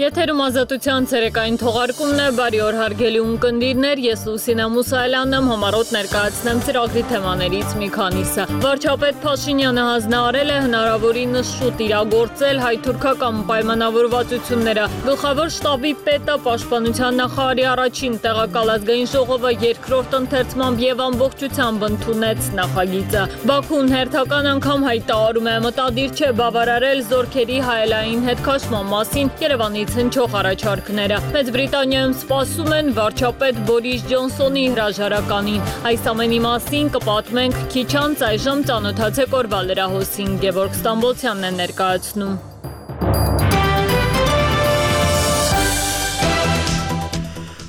Եթերում ազատության ցերեկային թողարկումն է, բարի օր հարգելի ունկնդիրներ, ես Լուսինե Մուսայելյանն եմ, համառոտ ներկայացնեմ ծրագրի թեմաներից մի քանիսը։ Վարչապետ Փաշինյանը հանձնարարել է հնարավորինս շուտ իրագործել հայ-թուրքական պայմանավորվածությունները։ Գլխավոր շտաբի պետը Պաշտպանության նախարարի առաջին տեղակալ ազգային ժողովը երկրորդ ընթերցմամբ եւ ամբողջությամբ ընդունեց նախագիծը։ Բաքուն հերթական անգամ հայտարարում է մտադիր չէ բավարարել զորքերի հայելային հետքաշման մասին Երևանի հնչող առաջարկները։ Մեծ Բրիտանիայում սպասում են վարչապետ Բորիս Ջոնսոնի հրաժարականին։ Այս ամենի մասին կպատմենք քիչ անց, այժմ ծանոթացեք օրվա լրահոսին, Գևորգ Ստամբոլցյանն է ներկայացնում։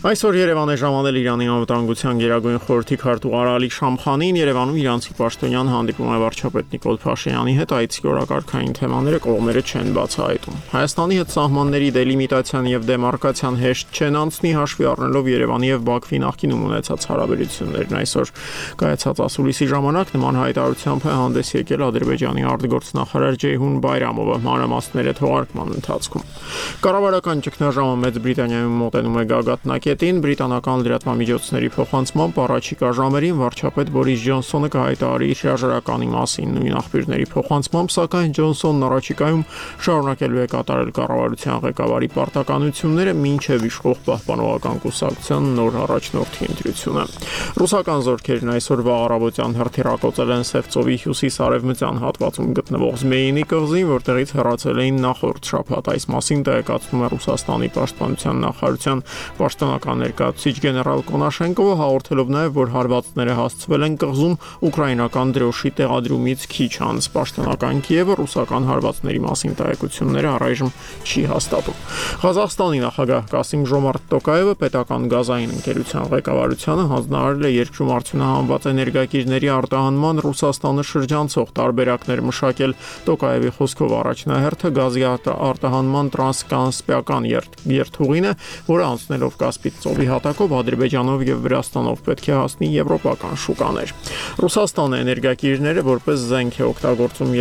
Այսօր Երևան է ժամանել Իրանի անվտանգության գերագույն խորհրդի քարտուղար Ալի Շամխանին, Երևանում իրանցի պաշտոնյան հանդիպում է վարչապետ Նիկոլ Փաշինյանի հետ, այցի օրակարգային թեմաները կողմերը չեն բացահայտում։ Հայաստանի հետ սահմանների դելիմիտացիան եւ դեմարկացիան հեշտ չեն անցնի, հաշվի առնելով Երևանի եւ Բաքվի նախկինում ունեցած հարաբերություններն։ Այսօր կայացած ասուլիսի ժամանակ նման հայտարարությամբ է հանդես եկել Ադրբեջանի արտգործնախարար Ջեյհուն Բայրամովը մանրամասները թողարկման ընթացքում։ Կառավարական ճգնաժամը Մեծ Բրիտանիայում մոտենում է գագաթնակետին, բրիտանական լրատվամիջոցների փոխանցմամբ առաջիկա ժամերին վարչապետ Բորիս Ջոնսոնը կհայտարարի իր հրաժարականի մասին։ Նույն աղբյուրների փոխանցմամբ, սակայն Ջոնսոնն առաջիկայում շարունակելու է կատարել կառավարության ղեկավարի պարտականությունները մինչև իշխող պահպանողական կուսակցության նոր առաջնորդի ընտրությունը։ Ռուսական զորքերն այսօր վաղ առավոտյան հրթիռակոծել են Սևծովի հյուսիս-արևմտյան հատվածում գտնվող Զմեյինի կղզին, որտեղից հեռացել էին նախորդ շաբաթ։ Այս մասին տեղեկացնում է Ռուսաստանի պաշտպանության նախարարության պաշտոնական ներկայացուցիչ գեներալ Կոնաշենկովը, հաղորդելով նաև, որ հարվածները հասցվել են կղզում ուկրաինական դրոշի տեղադրումից քիչ անց։ Պաշտոնական Կիևը ռուսական հարվածների մասին տեղեկությունները առայժմ չի հաստատում։ Ղազախստանի նախագահ Կասիմ Ժոմարտ Տոկաևը պետական գազային ընկերության ղեկավարությանը հանձնարարել է երկրում արդյունահանված էներգակիրների արտահանման Ռուսաստանը շրջանցող տարբերակներ մշակել։ Տոկաևի խոսքով առաջնահերթը գազի արտահանման տրանսկասպիական երթուղին է, որը անցնելով Կասպից ծովի հատակով Ադրբեջանով եւ Վրաստանով պետք է հասնի եվրոպական շուկաներ։ Ռուսաստանը էներգակիրները որպես զենք է օգտագործում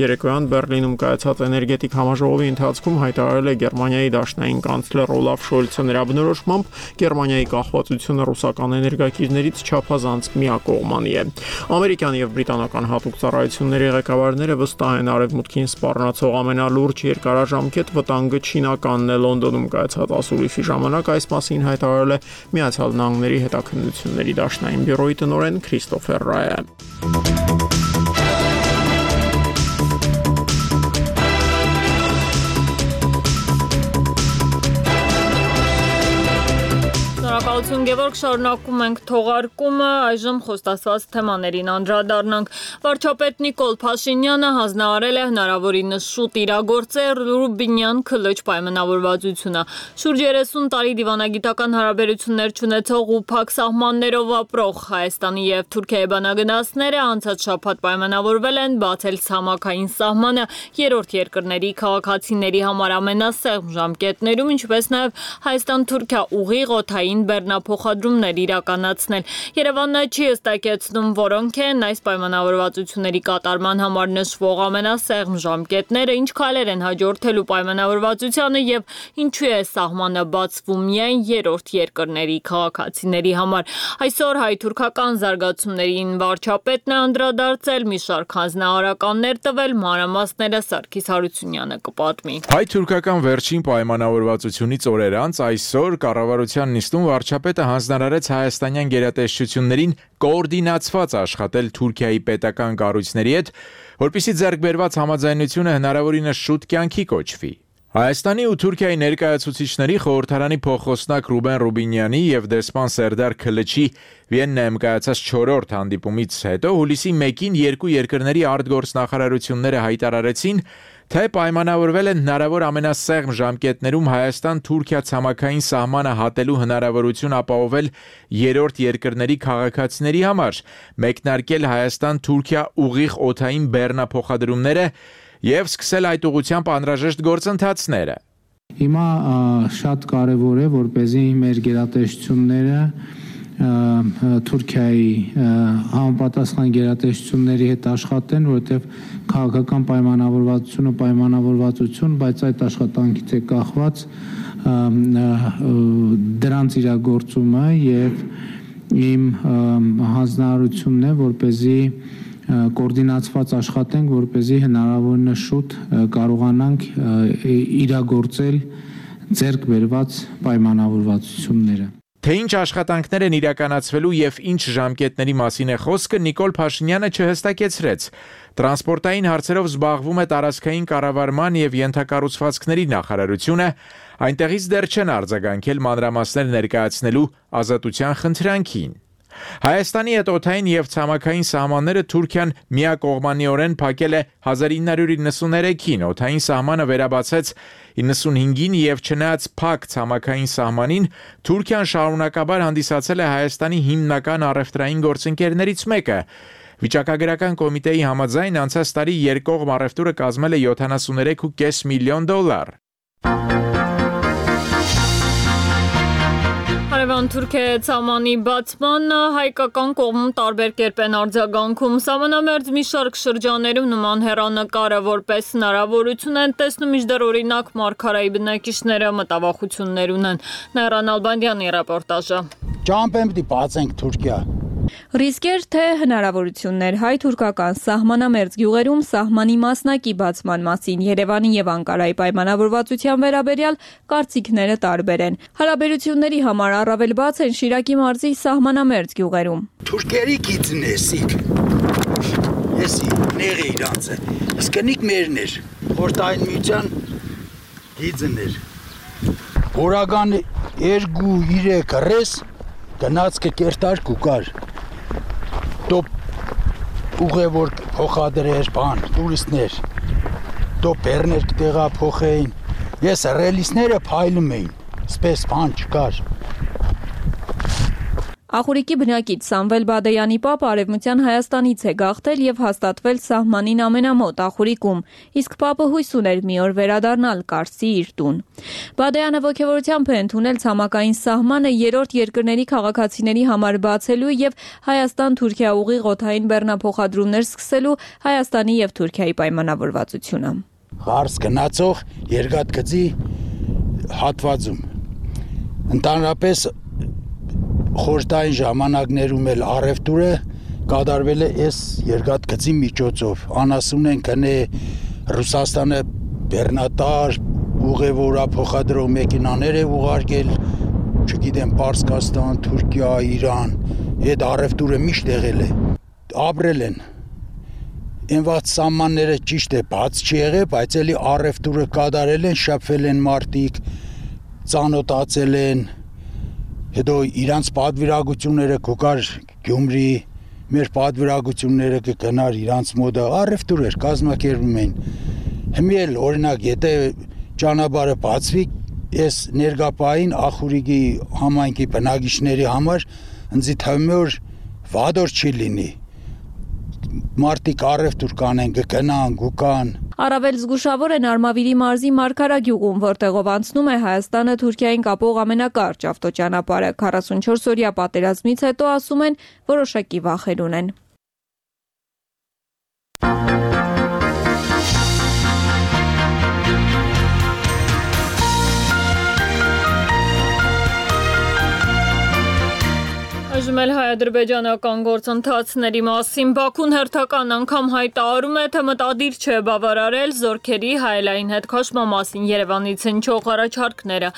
երեկոյան Բեռլինում կայացած էներգետիկ համաժողովի ընթացքում հայտարարել է Գերմանիայի դաշնային կանցլեր Օլաֆ Շոլցը։ Նրա բնորոշմամբ Գերմանիայի կախվածությունը ռուսական էներգակիրներից չափազանց միակողմանի է։ Ամերիկյան եւ բրիտանական հատուկ ծառայությունների ղեկավարները վստահ են արևմուտքին սպառնացող ամենալուրջ երկարաժամկետ վտանգը չինականն է։ Լոնդոնում կայացած ասուլիսի ժամանակ այս մասին հայտարարել է Միացյալ Նահանգների հետաքննությունների դաշնային բյուրոյի տնօրեն Քրիստոֆեր Ռայը։ Շնորհակալություն Գևորգ, շարունակում ենք թողարկումը, այժմ խոստացված թեմաներին անդրադառնանք։ Վարչապետ Նիկոլ Փաշինյանը հանձնարարել է հնարավորինս շուտ իրագործել Ռուբինյան քլչ պայմանավորվածությունը։ Շուրջ 30 տարի դիվանագիտական հարաբերություններ չունեցող ու փակ սահմաններով ապրող Հայաստանի եւ Թուրքիայի բանագնացները անցած շաբաթ պայմանավորվել են բացել ցամաքային սահմանը երրորդ երկրների քաղաքացիների համար ամենասեղմ ժամկետներում, ինչպես նաեւ Հայաստան-Թուրքիա ուղիղ օդային բեռնափոխադրումներ իրականացնել։ Երևանը չի հստակեցնում, որոնք են այս պայմանավորվածությունների կատարման համար նշվող ամենասեղմ ժամկետները, ինչ քայլեր են հաջորդելու պայմանավորվածությանը եւ ինչու է սահմանը բացվում միայն երրորդ երկրների քաղաքացիների համար։ Այսօր հայ-թուրքական զարգացումներին վարչապետն է անդրադարձել, մի շարք հանձնարարականներ տվել, մանրամասները Սարգիս Հարությունյանը կպատմի։ Հայ-թուրքական վերջին պայմանավորվածությունից օրեր անց այսօր կառավարության նիստում վարչապետը հանձնարարեց հայաստանյան գերատեսչություններին կոորդինացված աշխատել Թուրքիայի պետական կառույցների հետ, որպեսզի ձեռք բերված համաձայնությունը հնարավորինս շուտ կյանքի կոչվի։ Հայաստանի ու Թուրքիայի ներկայացուցիչների խորհրդարանի փոխխոսնակ Ռուբեն Ռուբինյանի եւ դեսպան Սերդար Քլչի Վիեննայում կայացած 4-րդ հանդիպումից հետո հուլիսի 1-ին երկու երկրների արտգործնախարարությունները հայտարարեցին, թե պայմանավորվել են հնարավոր ամենասեղմ ժամկետներում Հայաստան-Թուրքիա ցամաքային սահմանը հատելու հնարավորություն ապահովել երրորդ երկրների քաղաքացիների համար, մեկնարկել Հայաստան-Թուրքիա ուղիղ օդային բեռնափոխադրումները եւ սկսել այդ ուղղությամբ անհրաժեշտ գործընթացները։ Հիմա շատ կարևոր է, որպեսզի մեր գերատեսչությունները Թուրքիայի համապատասխան գերատեսչությունների հետ աշխատեն, որովհետև քաղաքական պայմանավորվածություն, բայց այդ աշխատանքից է կախված դրանց իրագործումը եւ իմ հանձնարարությունն է, որպեսզի կոորդինացված աշխատենք, որպեսզի հնարավորինս շուտ կարողանանք իրագործել ձեռք բերված պայմանավորվածությունները։ Թե ինչ աշխատանքներ են իրականացվելու եւ ինչ ժամկետների մասին է խոսքը, Նիկոլ Փաշինյանը չհստակեցրեց։ Տրանսպորտային հարցերով զբաղվում է տարածքային կառավարման եւ ենթակառուցվածքների նախարարությունը, այնտեղից դեռ չեն արձագանքել մանրամասներ ներկայացնելու ազատության խնդրանքին։ Հայաստանի հետ օդային եւ ցամաքային սահմանները Թուրքիան միակողմանիորեն փակել է 1993-ին, օդային սահմանը վերաբացեց 95-ին եւ չնայած փակ ցամաքային սահմանին, Թուրքիան շարունակաբար հանդիսացել է Հայաստանի հիմնական առևտրային գործընկերներից մեկը։ Վիճակագրական կոմիտեի համաձայն անցած տարի երկկողմ առևտուրը կազմել է $73.5 միլիոն։ Հարևան Թուրքիայի ցամանի բացման հայկական կողմում տարբեր կերպ են արձագանքում։ Սահմանամերձ մի շարք շրջաններում նման հեռանկարը որպես հնարավորություն են տեսնում, մինչդեռ օրինակ Մարգարայի բնակիչները մտավախություններ ունեն։ Նայրան Ալբանդյանի ռեպորտաժը։ Ճամփեմ պիտի բացենք Թուրքիա։ Ռիսկեր թե հնարավորություններ հայ-թուրքական սահմանամերձ գյուղերում սահմանի մասնակի բացման մասին Երևանի եւ Անկարայի պայմանավորվածության վերաբերյալ կարծիքները տարբեր են։ Հարաբերությունների համար առավել բաց են Շիրակի մարզի սահմանամերձ գյուղերում։ Թուրքերի գիծն է սիկ։ Էսի ների իրանց է։ Իսկ նիկ մերներ։ Խորտային միության գիծն էր։ Օրական 2-3 ռես գնաց կերտար կուկար։ Դոպ ուղևոր փոխադրեր բան, տուրիստներ, դոպ բերներ կտեղա փոխեին, ես ռելիսները փայլում էին, սպես բան չկար։ Ախուրիկի բնակիչ Սամվել Բադեյանի պապը Արևմտյան Հայաստանից է գաղթել եւ հաստատվել սահմանին ամենամոտ Ախուրիկում, իսկ պապը հույս ուներ մի օր վերադառնալ Կարսի իր տուն։ Բադեյանը ողջավորությամբ է ընդունել ցամաքային սահմանը երրորդ երկրների քաղաքացիների համար բացելու եւ Հայաստան-Թուրքիա ուղիղ օդային բեռնափոխադրումներ սկսելու Հայաստանի եւ Թուրքիայի պայմանավորվածությունը։ Հարս գնացող երկաթգծի հատվածում ընդհանրապես խորտային ժամանակներում էլ առևտուրը կատարվել է այս երկաթգծի միջոցով։ Անասուն են գնե Ռուսաստանը բեռնատար ուղևորա փոխադրող մեքենաներ է ուղարկել, չգիտեմ, Պարսկաստան, Թուրքիա, Իրան, այդ առևտուրը միշտ եղել է։ Ապրել են։ Ինված սահմանները ճիշտ է բաց չի եղել, բայց էլի առևտուրը կատարել են, շփվել են մարդիկ, ծանոթացել են։ Հետո իրանց պատվիրակությունները կգար Գյումրի, մեր պատվիրակությունները կգնար իրանց մոտ առևտուր էր, կազմակերպում էին։ Հիմա էլ օրինակ եթե ճանապարհը բացվի, այս ներգապային Ախուրիկի համայնքի բնակիչների համար ինձ թվում է որ վադոր չի լինի։ Մարդիկ առևտուր կանեն, կգնան, գուկան։ Առավել զգուշավոր են Արմավիրի մարզի Մարգարագյուղում, որտեղով անցնում է Հայաստանը Թուրքիային կապող ամենակարճ ավտոճանապարհը։ 44-օրյա պատերազմից հետո ասում են որոշակի վախեր ունեն։ Այժմ էլ հայ-ադրբեջանական գործընթացների մասին Բաքուն հերթական անգամ հայտարարում է, թե մտադիր չէ բավարարել զորքերի հայելային հետ քաշման մասին Երևանից հնչող առաջարկները։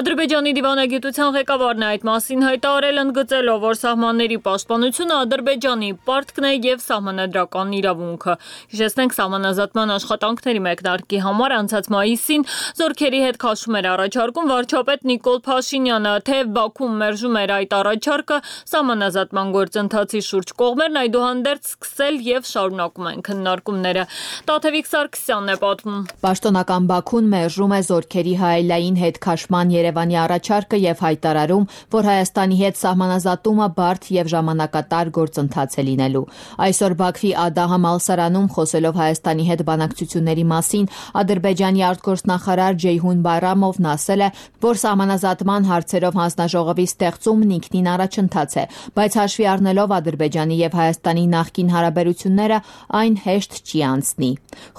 Ադրբեջանի դիվանագիտության ղեկավարն այդ մասին հայտարարել ընդգծելով, որ սահմանների պաշտպանությունը Ադրբեջանի պարտքն է եւ սահմանադրական իրավունքը։ Հիշեցնենք, սահմանազատման աշխատանքների մեկնարկի համար անցած մայիսին զորքերի հետ քաշում էր առաջարկում վարչապետ Նիկոլ Փաշինյանը, թե Բաքուն մերժում էր այդ առաջարկը, սահմանազատման սահմանազատման գործընթացի շուրջ կողմերն այդուհանդերձ սկսել եւ շարունակում են քննարկումները։ Տաթևիկ Սարգսյանն է պատմում։ Պաշտոնական Բաքուն մերժում է զորքերի հայելային հետ քաշման Երևանի առաջարկը եւ հայտարարում, որ Հայաստանի հետ սահմանազատումը բարդ եւ ժամանակատար գործընթաց է լինելու։ Այսօր Բաքվի Ադա համալսարանում խոսելով Հայաստանի հետ բանակցությունների մասին Ադրբեջանի արտգործնախարար Ջեյհուն Բայրամովն ասել է, որ սահմանազատման հարցերով հանձնաժողովի ստեղծումն ինքնին առաջընթաց է, բայց հաշվի առնելով Ադրբեջանի եւ Հայաստանի նախկին հարաբերությունները, այն հեշտ չի անցնի։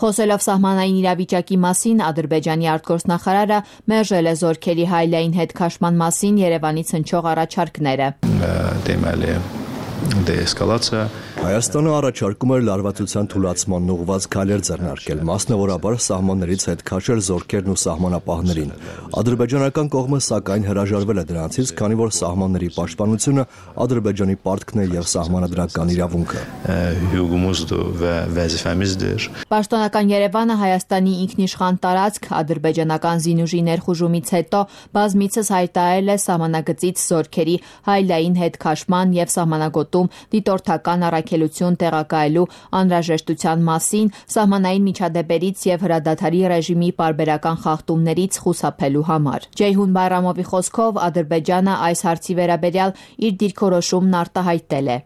Խոսելով սահմանային իրավիճակի մասին Ադրբեջանի արտգործնախարարը մերժել է զորքերի հայելային հետ քաշման մասին Երևանից հնչող առաջարկները։ Դեէսկալացիա Հայաստանը առաջարկում էր լարվածության թուլացման ուղղված քայլեր ձեռնարկել, մասնավորաբար սահմաններից հետ քաշել զորքերն ու սահմանապահներին։ Ադրբեջանական կողմը սակայն հրաժարվել է դրանցից, քանի որ սահմանների պաշտպանությունը Ադրբեջանի պարտքն է եւ սահմանադրական իրավունքը։ Պաշտոնական Երևանը Հայաստանի ինքնիշխան տարածք ադրբեջանական զինուժի ներխուժումից հետո բազմիցս հայտարարել է սահմանագծից զորքերի հայելային հետ քաշման եւ սահմանագոտում դիտորդական առաքելություն տեղակայելու անհրաժեշտության մասին, սահմանային միջադեպերից եւ հրադադարի ռեժիմի պարբերական խախտումներից խուսափելու համար։ Ջեյհուն Բայրամովի խոսքով Ադրբեջանը այս հարցի վերաբերյալ իր դիրքորոշումն արտահայտել է։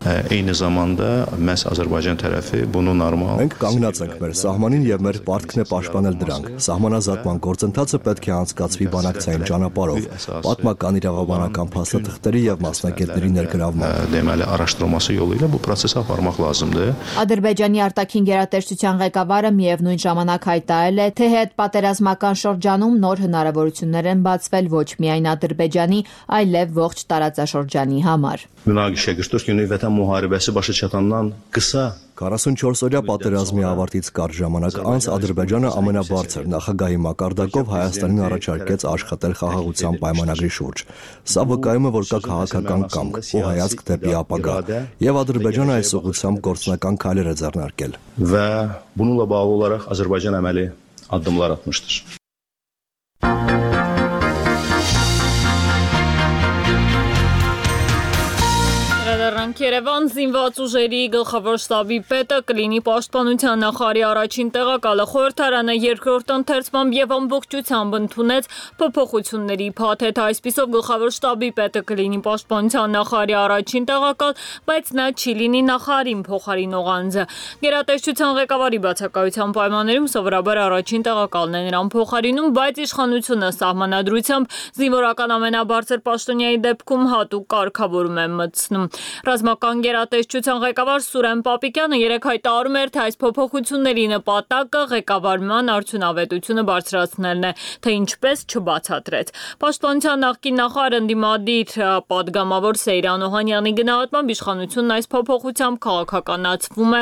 Մենք կանգնած ենք մեր սահմանին եւ մեր պարտքն է պաշտպանել դրանք։ Սահմանազատման գործընթացը պետք է անցկացվի բանակցային ճանապարհով, պատմական իրավաբանական փաստաթղթերի եւ մասնագետների ներգրավմամբ։ Ադրբեջանի արտաքին գերատեսչության ղեկավարը միևնույն ժամանակ հայտարարել է, թե հետպատերազմական շրջանում նոր հնարավորություններ են բացվել ոչ միայն Ադրբեջանի, այլև ողջ տարածաշրջանի համար։ 44-օրյա պատերազմի ավարտից կարճ ժամանակ անց Ադրբեջանը ամենաբարձր նախագահի մակարդակով Հայաստանին առաջարկեց աշխատել խաղաղության պայմանագրի շուրջ։ Սա վկայում է, որ կա քաղաքական կամք ու հայացք դեպի ապագա, եւ Ադրբեջանը այս ուղղությամբ գործնական քայլեր է ձեռնարկել։ Və bununla bağlı olaraq Azərbaycan əməli addımlar atmışdır. Երևան զինված ուժերի գլխավոր շտաբի պետը կլինի պաշտպանության նախարարի առաջին տեղակալը։ Խորհրդարանը երկրորդ ընթերցմամբ եւ ամբողջությամբ ընդունեց փոփոխությունների փաթեթ։ Այսպիսով գլխավոր շտաբի պետը կլինի պաշտպանության նախարարի առաջին տեղակալ, բայց նա չի լինի նախարարին փոխարինող անձը։ Գերատեսչության ղեկավարի բացակայության պայմաններում սովորաբար առաջին տեղակալն է նրան փոխարինում, բայց իշխանությունը սահմանադրությամբ զինվորական ամենաբարձր պաշտոնյայի դեպքում հատուկ կարգավորում է մտցնում։ Ռազմական գերատեսչության ղեկավար Սուրեն Պապիկյանը երեկ հայտարարում էր, թե այս փոփոխությունների նպատակը ղեկավարման արդյունավետությունը բարձրացնելն է, թե ինչպես չբացատրեց։ Պաշտպանության նախկին նախարար ընդդիմադիր պատգամավոր Սեյրան Օհանյանի գնահատմամբ իշխանությունն այս փոփոխությամբ քաղաքականացնում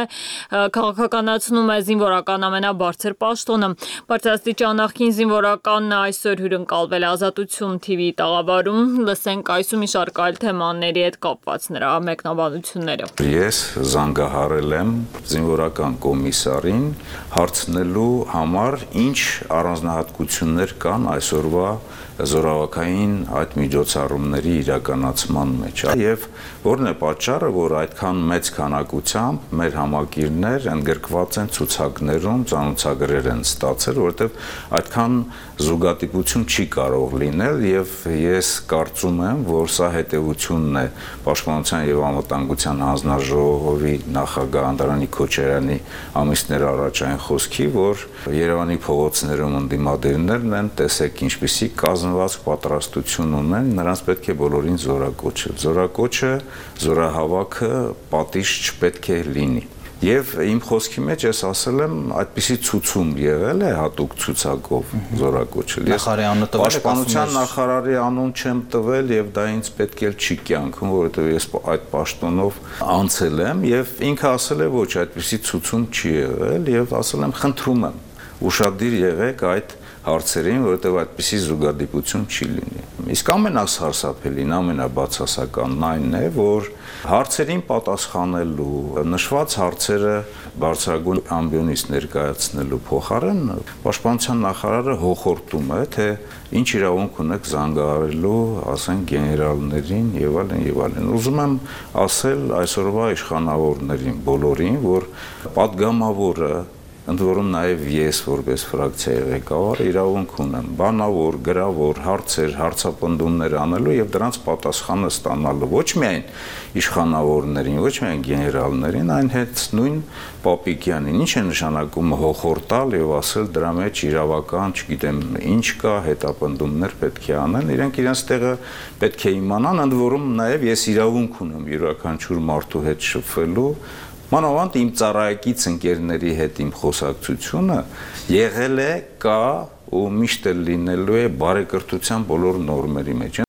է զինվորական ամենաբարձր պաշտոնը։ Բարձրաստիճան նախկին զինվորականն այսօր հյուրընկալվել Ազատություն TV տաղավարում։ Լսենք այսու մի շարք այլ թեմաների հետ կապված նրա մեկնաբանությունները։ Ես զանգահարել եմ զինվորական կոմիսարին հարցնելու համար, ինչ առանձնահատկություններ կան այսօրվա զորավարքային այդ միջոցառումների իրականացման մեջ, եւ որն է պատճառը, որ այդքան մեծ քանակությամբ մեր համակիրներ ընդգրկված են ցուցակներում, ծանոթագրեր են ստացել, որովհետեւ այդքան զուգադիպություն չի կարող լինել, եւ ես կարծում եմ, որ սա հետեւությունն է Պաշտպանության եւ անվտանգության հանձնաժողովի նախագահ Անդրանիկ Քոչարյանի ամիսներ առաջային խոսքի, որ Երևանի փողոցներում ընդդիմադիրներն են, տեսեք ինչպիսի կազմված պատրաստություն ունեն, նրանց պետք է բոլորին զորակոչել։ Զորակոչը, զորահավաքը պատիժ չպետք է լինի։ Եվ իմ խոսքի մեջ ես ասել եմ, այդպիսի ցուցում եղել է հատուկ ցուցակով զորակոչել։ Ես պաշտպանության նախարարի անուն չեմ տվել եւ դա ինձ պետք էլ չի կյանքում, որովհետեւ ես այդ պաշտոնով անցել եմ եւ ինքը ասել է ոչ, այդպիսի ցուցում չի եղել եւ ասել եմ, խնդրում եմ ուշադիր եղեք այդ հարցերին, որովհետեւ այդպիսի զուգադիպություն չի լինի։ Իսկ ամենասարսափելին, ամենաբացասականն այն է, որ հարցերին պատասխանելու, նշված հարցերը բարձրագույն ամբիոնից ներկայացնելու փոխարեն Պաշտպանության նախարարը հոխորտում է, թե ինչ իրավունք ունեք զանգահարելու, ասենք, գեներալներին եւ այլն եւ այլն։ Ուզում եմ ասել այսօրվա իշխանավորներին բոլորին, որ պատգամավորը ընդ որում նաև ես որպես ֆրակցիայի ղեկավար իրավունք ունեմ բանավոր, գրավոր հարցեր, հարցապնդումներ անելու եւ դրանց պատասխանը ստանալու ոչ միայն իշխանավորներին, ոչ միայն գեներալներին, այն հետ նույն Պապիկյանին։ Ինչ է նշանակում հոխորտալ եւ ասել դրա մեջ իրավական, չգիտեմ, ինչ կա, հետապնդումներ պետք է անեն, իրենք իրենց տեղը պետք է իմանան, ընդ որում նաև ես իրավունք ունեմ յուրաքանչյուր մարդու հետ շփվելու Մանավանդ իմ ծառայակից ընկերների հետ իմ խոսակցությունը եղել է, կա ու միշտ էլ լինելու է բարեկրթության բոլոր նորմերի մեջ։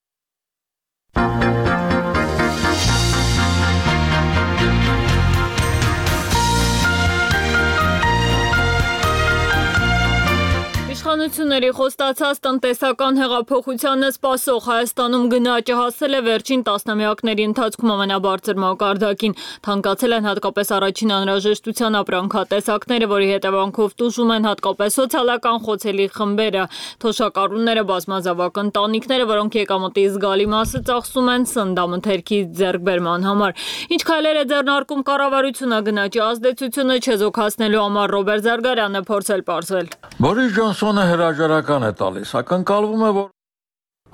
Իշխանությունների խոստացած տնտեսական հեղափոխությանը սպասող Հայաստանում գնաճը հասել է վերջին տասնամյակների ընթացքում ամենաբարձր մակարդակին, թանկացել են հատկապես առաջին անհրաժեշտության ապրանքատեսակները, որի հետևանքով տուժում են հատկապես սոցիալական խոցելի խմբերը, թոշակառուները, բազմազավակ ընտանիքները, որոնք եկամտի զգալի մասը ծախսում են սննդամթերքի ձեռքբերման համար։ Ինչ քայլեր է ձեռնարկում կառավարությունը գնաճի ազդեցությունը չեզոքացնելու համար Ռոբերտ Զարգարյանը փորձել պարզել։ Բորիս Ջոնսոնը հրաժարական է տալիս, ակնկալվում է, որ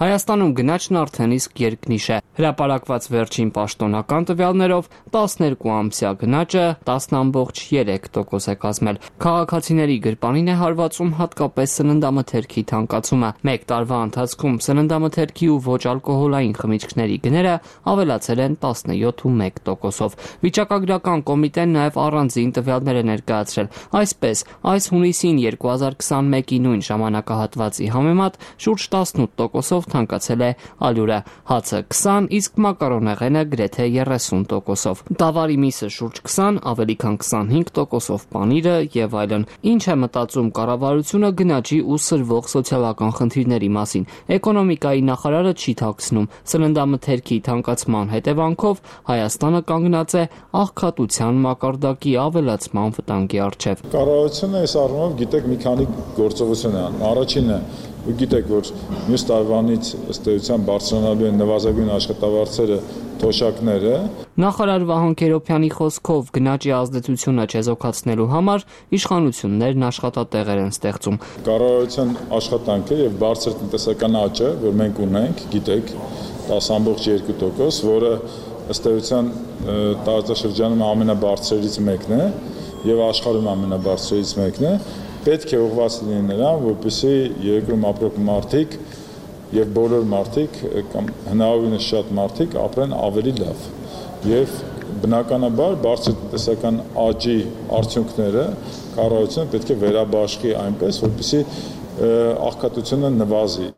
Հայաստանում գնաճն արդեն իսկ երկնիշ է։ Հրապարակված վերջին պաշտոնական տվյալներով 12-ամսյա գնաճը 10.3% է կազմել։ Քաղաքացիների գրպանին է հարվածում հատկապես սննդամթերքի թանկացումը։ Մեկ տարվա ընթացքում սննդամթերքի ու ոչ ալկոհոլային խմիչքների գները ավելացել են 17.1%-ով։ Վիճակագրական կոմիտեն նաև առանձին տվյալներ է ներկայացրել։ Այսպես, այս հունիսին 2021-ի նույն ժամանակահատվածի համեմատ շուրջ 18%-ով թանկացել է ալյուրը, հացը 20, իսկ մակարոնեղենը գրեթե 30%-ով։ Դավարի միսը շուրջ 20, ավելի քան 25%-ով պանիրը եւ այլն։ Ինչ է մտածում կառավարությունը գնաճի ու սրվող սոցիալական խնդիրների մասին։ Էկոնոմիկայի նախարարը չի թաքցնում, սննդամթերքի թանկացման հետևանքով Հայաստանը կանգնած է աղքատության մակարդակի ավելացման վտանգի առջև։ Կառավարությունը այս առումով գիտեք մի քանի գործողություն է անում։ Առաջինը Ու գիտեք, որ մյուս տարվանից ըստ էության բարձրանալու են նվազագույն աշխատավարձերը, թոշակները։ Նախարար Վահան Քերոբյանի խոսքով գնաճի ազդեցությունը չեզոքացնելու համար իշխանություններն աշխատատեղեր են ստեղծում։ Կառավարության աշխատանքը եւ բարձր տնտեսական աճը, որ մենք ունենք, գիտեք, 10.2%, որը ըստ էության տարածաշրջանում ամենաբարձրերից մեկն է եւ աշխարհում ամենաբարձրերից մեկն է։ Պետք է ուղղված լինի նրան, որպեսզի երկրում ապրող մարդիկ եւ բոլոր մարդիկ կամ հնարավորինս շատ մարդիկ ապրեն ավելի լավ։ Եվ բնականաբար բարձր տնտեսական աճի արդյունքները կառավարությունը պետք է վերաբաշխի այնպես, որպեսզի աղքատությունը նվազի։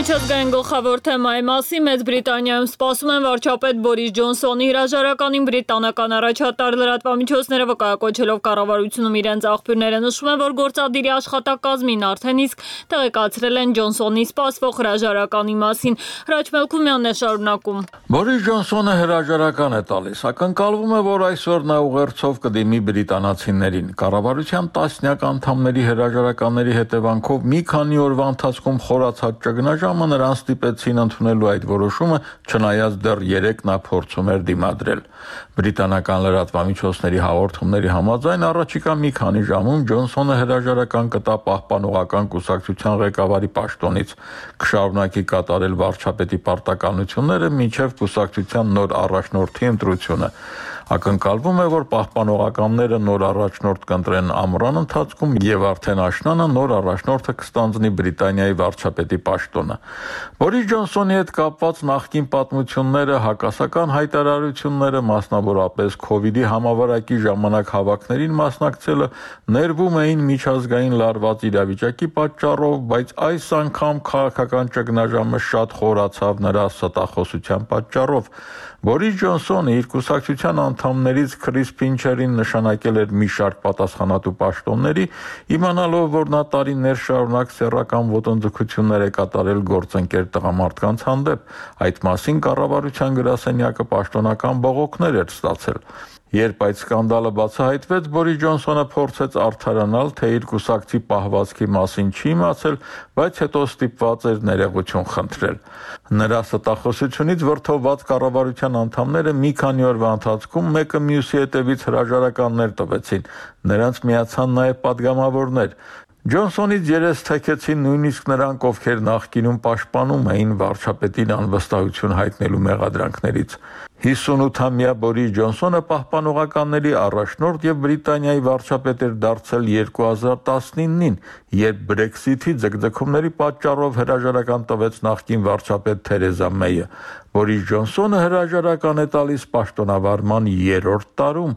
Միջազգային գլխավոր թեմայի մասին Մեծ Բրիտանիայում սպասում են վարչապետ Բորիս Ջոնսոնի հրաժարականին բրիտանական առաջատար լրատվամիջոցները վկայակոչելով կառավարությունում իրենց աղբյուրները նշում են, որ գործադիրի աշխատակազմին արդեն իսկ տեղեկացրել են Ջոնսոնի սպասվող հրաժարականի մասին։ Հրաչ Մելքումյանն է շարունակում։ Բորիս Ջոնսոնը հրաժարական է տալիս, ակնկալվում է, որ այսօր նա ուղերձով կդիմի բրիտանացիներին։ Կառավարության տասնյակ անդամների հրաժարականների հետևանքով մի քանի օրվա ընթացքում խորացած ճգնաժամը նրան ստիպեցին ընդունելու այդ որոշումը, չնայած դեռ 3 նա փորձում էր դիմադրել։ Բրիտանական լրատվամիջոցների հաղորդումների համաձայն առաջիկա մի քանի ժամում Ջոնսոնը հրաժարական կտա պահպանողական կուսակցության ղեկավարի պաշտոնից, կշարունակի կատարել վարչապետի պարտականությունները մինչև կուսակցության նոր առաջնորդի ընտրությունը։ Ակնկալվում է, որ պահպանողականները նոր առաջնորդ կընտրեն ամռան ընթացքում եւ արդեն աշնանը նոր առաջնորդը կստանձնի Բրիտանիայի վարչապետի պաշտոնը։ Բորիս Ջոնսոնի հետ կապված նախկին պատմությունները, հակասական հայտարարությունները, մասնավորապես COVID-ի համավարակի ժամանակ հավաքներին մասնակցելը ներվում էին միջազգային լարված իրավիճակի պատճառով, բայց այս անգամ քաղաքական ճգնաժամը շատ խորացավ նրա ստախոսության պատճառով։ Բորիս Ջոնսոնը իր կուսակցության անդամներից Քրիս Փինչերին նշանակել էր մի շարք պատասխանատու պաշտոնների, իմանալով, որ նա տարիներ շարունակ սեռական ոտնձգություններ է կատարել գործընկեր տղամարդկանց հանդեպ։ Այդ մասին կառավարության գրասենյակը պաշտոնական բողոքներ էր ստացել։ Երբ այդ սկանդալը բացահայտվեց, Բորիս Ջոնսոնը փորձեց արդարանալ, թե իր կուսակցի պահվածքի մասին չի իմացել, բայց հետո ստիպված էր ներողություն խնդրել։ Նրա ստախոսությունից վրդովված կառավարության անդամները մի քանի օրվա ընթացքում մեկը մյուսի հետևից հրաժարականներ տվեցին։ Նրանց միացան նաև падգամավորներ։ Ջոնսոնից երես թեքեցին նույնիսկ նրանք, ովքեր նախկինում պաշտպանում էին վարչապետին անվստահություն հայտնելու մեղադրանքներից։ 58-ամյա Բորիս Ջոնսոնը պահպանողականների առաջնորդ եւ Բրիտանիայի վարչապետ էր դարձել 2019-ին, երբ Brexit-ի ձգձգումների պատճառով հրաժարական տվեց նախկին վարչապետ Թերեզա Մեյը։ Բորիս Ջոնսոնը հրաժարական է տալիս պաշտոնավարման 3-րդ տարում։